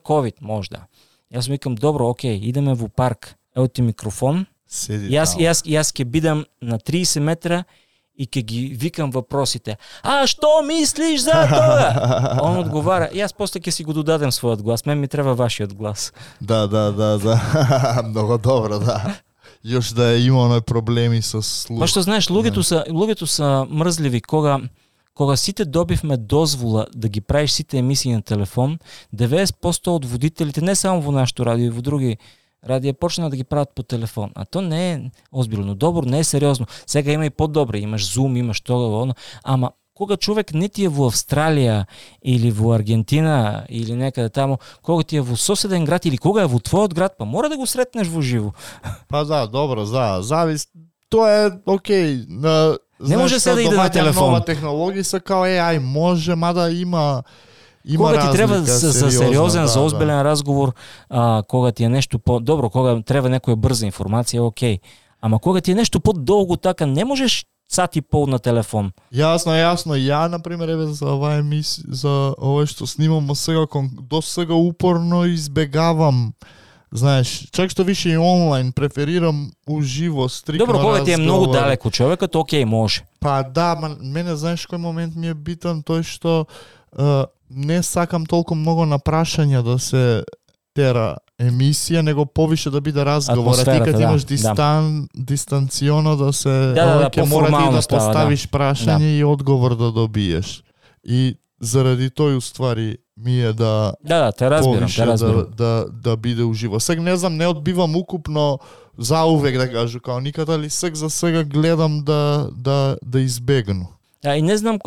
COVID, може да. Јас викам, добро, окей, идеме во парк. Ево ти микрофон. Јас ќе бидам на 30 метра и ќе ги викам въпросите. Што мислиш за тоа? Он одговара. Јас после ќе си го додадем својот глас. Мен ми треба вашиот глас. Да. Многу добро, да. Још да имаме проблеми со слух. Пошто знаеш, луѓето се мрзливи кога сите добивме дозвола да ги правиш сите емисии на телефон, 90% од водителите, не само во нашето радио, и во други радија почна да ги прават по телефон. А то не е озбилно, добро, не е сериозно. Сега има и подобри, имаш Zoom, имаш тоа, ама кога човек не ти е во Австралија или во Аргентина или некаде таму, кога ти е во соседен град или кога е во твојот град, па мора да го сретнеш во живо. Па да, добро, завис. Тоа е окей. Не може се да иде на телефон. Нова технологија се као AI може, мада има кога ти треба за сериозен, за озбилен разговор, кога ти е нешто добро, кога треба некоја брза информација, окей. Ама кога ти е нешто подолго така, не можеш сат и пол на телефон. Јасно. Ја, например, за оваа емисија, за ова што снимам сега, до сега упорно избегавам. Знаеш, чак што више и онлайн, преферирам уживо, стрикно разговор. Добро, кога ти е многу далеко човекот, окей, може. Па да, мене знаеш кој момент ми е битен, тој што не сакам толку многу на прашања да се тера емисија, него повише да биде разговор. А ти кога имаш дистанционо да се ќе мора ти да поставиш прашање и одговор да добиеш. И заради тој уствари ми е да те разбирам. Да биде уживо. Сега не знам, не одбивам укупно заувек да кажу, као никада ли за сега гледам да избегну. И не знам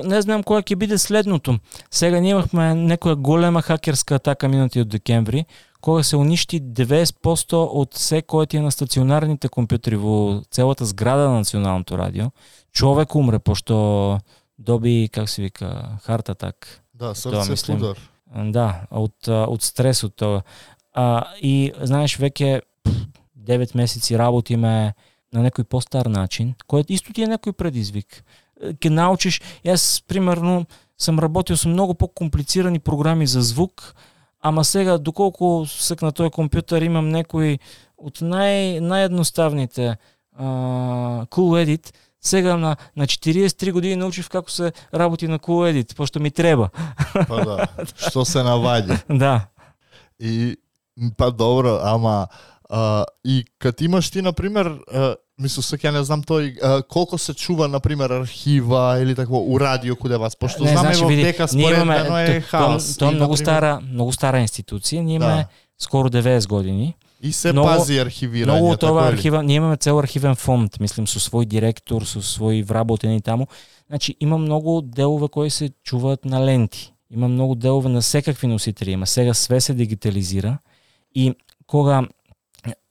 која ќе биде следното. Сега ние имахме некоја голема хакерска атака минатиот декември, кога се уништи 90% од се кој ти е на стационарните компјутери во целата зграда на Националното радио. Човек умре пошто доби, как се вика, heart attack. Да, срце удар. Да, од стресот тоа. И знаеш, веќе 9 месеци работиме на некој постар начин, кој исто ти е некој предизвик. ќе научиш. Јас примерно сам работил со многу покомплицирани програми за звук, ама сега доколку сек на тој компјутер имам некои од наједноставните Cool Edit, сега на 43 години научив како се работи на Cool Edit, пошто ми треба. Па да, што се наваѓа. Да. И па добро, ама и кад имаш ти, например, мислам се ќе не знам тој колку се чува, например, архива или такво у радио куде вас, пошто знаме во дека споредно е хаос. Тоа е многу стара институција, ние имаме скоро 90 години. И се пази архивирање. Многу тоа архива, ние имаме цел архивен фонд, мислим со свој директор, со своји вработени таму. Значи има многу делови кои се чуваат на ленти. Има многу делови на секакви носители, има сега све се дигитализира и кога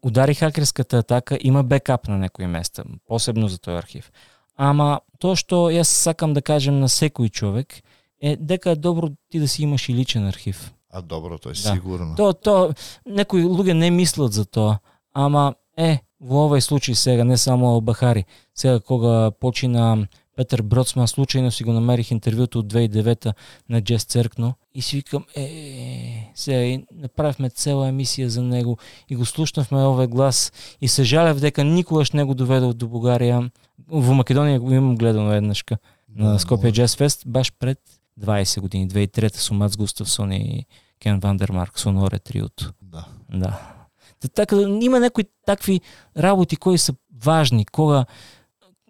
удари хакерската атака, има бекап на некои места, посебно за тој архив. Ама тоа што јас сакам да кажем на секој човек е дека е добро ти да си имаш и личен архив. А добро, тоа е сигурно. Тоа некои луѓе не мислат за тоа, ама во овој случај сега не само Албахари. Сега кога почина Петер Броцман, случајно си го намерих интервјуто од 2009 на Джес Церкно и си викам, сега направивме цела емисија за него и го слушнавме овој глас и се жалев дека никогаш не го доведов до Бугарија. Во Македонија го имам гледано еднашка на Скопје Джаз Фест, баш пред 20 години, 2003 со Мац Густавсон и Кен Вандермарк, Соноре триото. Да. Така има некои такви работи кои се важни, кога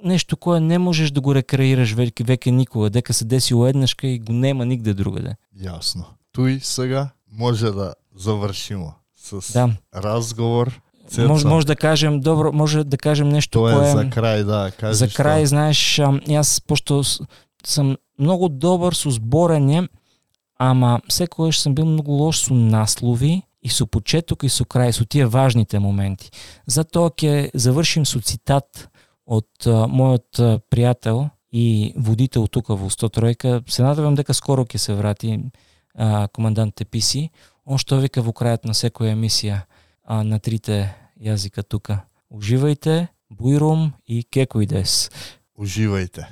нешто кое не можеш да го рекреираш веќе никога, дека се десило еднашка и го нема нигде другаде. Јасно. Туј сега може да завршиме с разговор. Може да кажем добро, може да кажем нешто кое за крај, да, кажи. За крај, знаеш, јас пошто сам многу добар со зборење, ама секогаш сум бил многу лош со наслови и со почеток и со крај, со тие важните моменти. Затоа ќе завршим со цитат од мојот пријател и водител тука во 103-ка. Се надевам дека скоро ќе се врати командант Теписи. Он што вика во крајот на секоја емисија на трите јазика тука. Уживајте, бујрум и кекојдес. Уживајте.